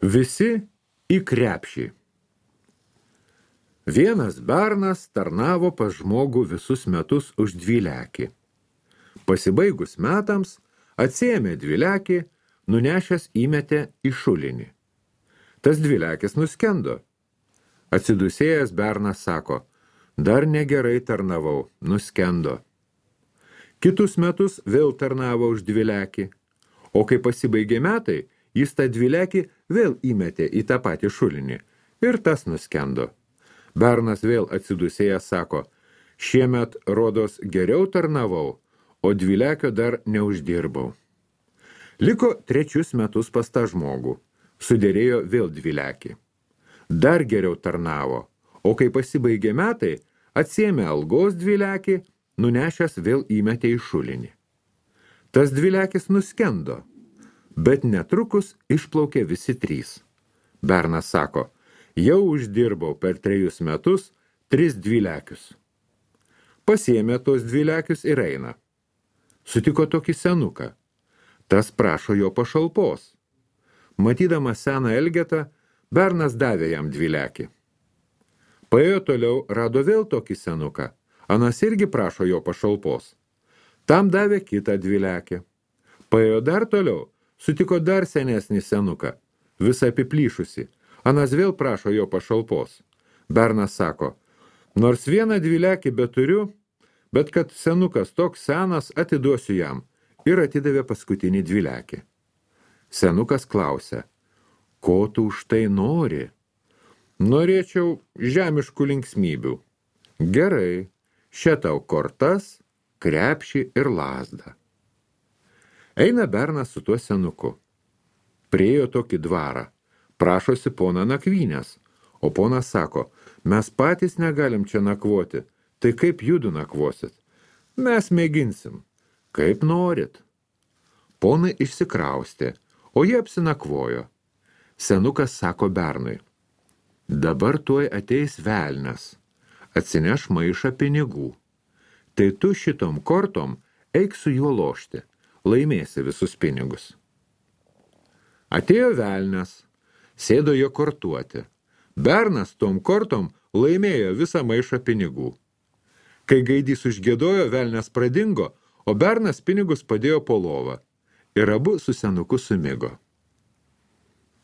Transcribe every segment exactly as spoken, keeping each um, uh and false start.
Visi į krepšį. Vienas bernas tarnavo pas žmogų visus metus už dvylekį. Pasibaigus metams, atsiėmė dvylekį, nunešęs įmetė į šulinį. Tas dvylekis nuskendo. Atsidusėjęs bernas sako, dar negerai tarnavau, nuskendo. Kitus metus vėl tarnavo už dvylekį, o kai pasibaigė metai, jis tą dvylekį vėl įmetė į tą patį šulinį ir tas nuskendo. Bernas vėl atsidusėjęs sako, šiemet rodos geriau tarnavau, o dvylekio dar neuždirbau. Liko trečius metus pas tą žmogų, sudėrėjo vėl dvylekį. Dar geriau tarnavo, o kai pasibaigė metai, atsiėmė algos dvylekį, nunešęs vėl įmetė į šulinį. Tas dvylekis nuskendo, bet netrukus išplaukė visi trys. Bernas sako, jau uždirbau per trejus metus tris dvylekius. Pasiėmė tos dvylekius ir eina. Sutiko tokį senuką. Tas prašo jo pašalpos. Matydamas seną elgetą, bernas davė jam dvylekį. Paėjo toliau, rado vėl tokį senuką. Anas irgi prašo jo pašalpos. Tam davė kitą dvylekį. Paėjo dar toliau, sutiko dar senesnį senuką, visą apiplyšusi. Anas vėl prašo jo pašalpos. Bernas sako, nors vieną dvylekį beturiu, bet kad senukas toks senas, atiduosiu jam, ir atidavė paskutinį dvylekį. Senukas klausia, ko tu už tai nori? Norėčiau žemiškų linksmybių. Gerai, še tau kortas, krepšį ir lazdą. Eina bernas su tuo senuku. Priėjo tokį dvarą. Prašosi poną nakvynės, o ponas sako, mes patys negalim čia nakvoti, tai kaip judu nakvosit? Mes mėginsim, kaip norit. Ponai išsikraustė, o jie apsinakvojo. Senukas sako bernui, dabar tuoj ateis velnias, atsineš maišą pinigų. Tai tu šitom kortom eik su juo lošti, laimėsi visus pinigus. Atėjo velnias. Sėdo jo kortuoti. Bernas tom kortom laimėjo visą maišą pinigų. Kai gaidys užgiedojo, velnias pradingo, o bernas pinigus padėjo po lovą. Ir abu su senuku sumigo.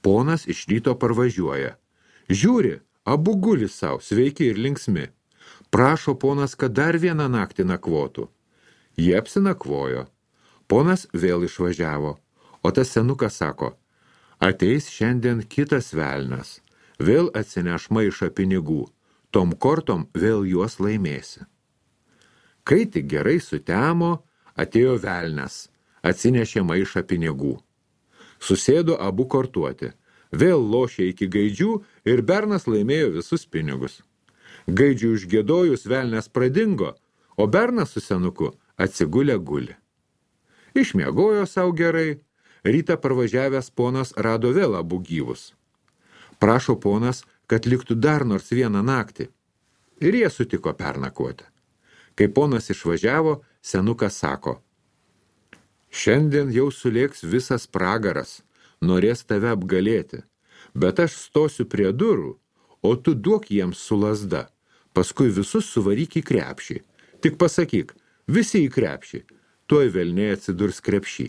Ponas iš ryto parvažiuoja. Žiūri, abu guli sau, sveiki ir linksmi. Prašo ponas, kad dar vieną naktį nakvotų. Jie apsinakvojo. Ponas vėl išvažiavo, o tas senukas sako, ateis šiandien kitas velnas, vėl atsineš maišą pinigų, tom kortom vėl juos laimėsi. Kai tik gerai sutemo, atėjo velnas, atsinešė maišą pinigų. Susėdo abu kortuoti, vėl lošė iki gaidžių ir bernas laimėjo visus pinigus. Gaidžių užgiedojus velnas pradingo, o bernas su senuku atsigulė guli. Išmiegojo sau gerai. Rytą parvažiavęs ponas rado vėl abu gyvus. Prašo ponas, kad liktų dar nors vieną naktį. Ir jie sutiko pernakvoti. Kai ponas išvažiavo, senukas sako, šiandien jau sulėks visas pragaras, norės tave apgalėti, bet aš stosiu prie durų, o tu duok jiems su lazda, paskui visus suvaryk į krepšį. Tik pasakyk, visi į krepšį, tuoj velniai atsidurs krepšį.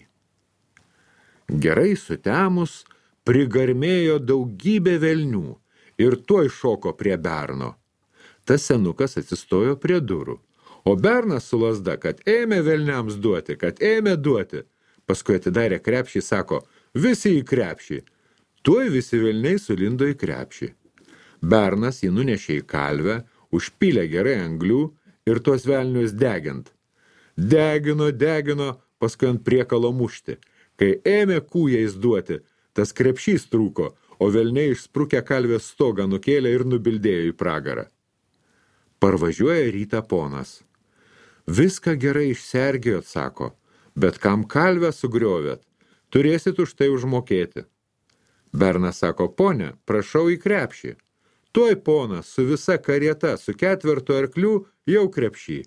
Gerai sutemus, prigarmėjo daugybė velnių ir tuoj šoko prie berno. Tas senukas atsistojo prie durų, o bernas su lazda, kad ėmė velniams duoti, kad ėmė duoti. Paskui atidarė krepšį, sako, visi į krepšį. Tuoj visi velniai sulindo į krepšį. Bernas jį nunešė į kalvę, užpylė gerai anglių ir tuos velnius degint. Degino, degino, paskui ant priekalo mušti. Kai ėmė kūjais duoti, tas krepšys trūko, o velniai išsprukę kalvės stogą nukėlė ir nubildėjo į pragarą. Parvažiuoja rytą ponas. Viską gerai išsergėjot, sako, bet kam kalvę sugriovėt, turėsit už tai užmokėti. Bernas sako, ponia, prašau į krepšį. Tuoj ponas su visa karieta, su ketvertu arklių, jau krepšį.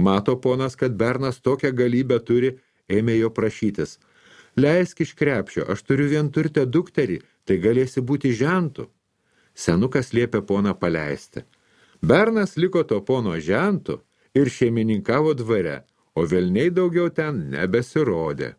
Mato ponas, kad bernas tokią galybę turi, ėmė jo prašytis. Leisk iš krepšio, aš turiu vienturtę dukterį, tai galėsi būti žentu. Senukas liepė poną paleisti. Bernas liko to pono žentu ir šeimininkavo dvare, o velniai daugiau ten nebesirodė.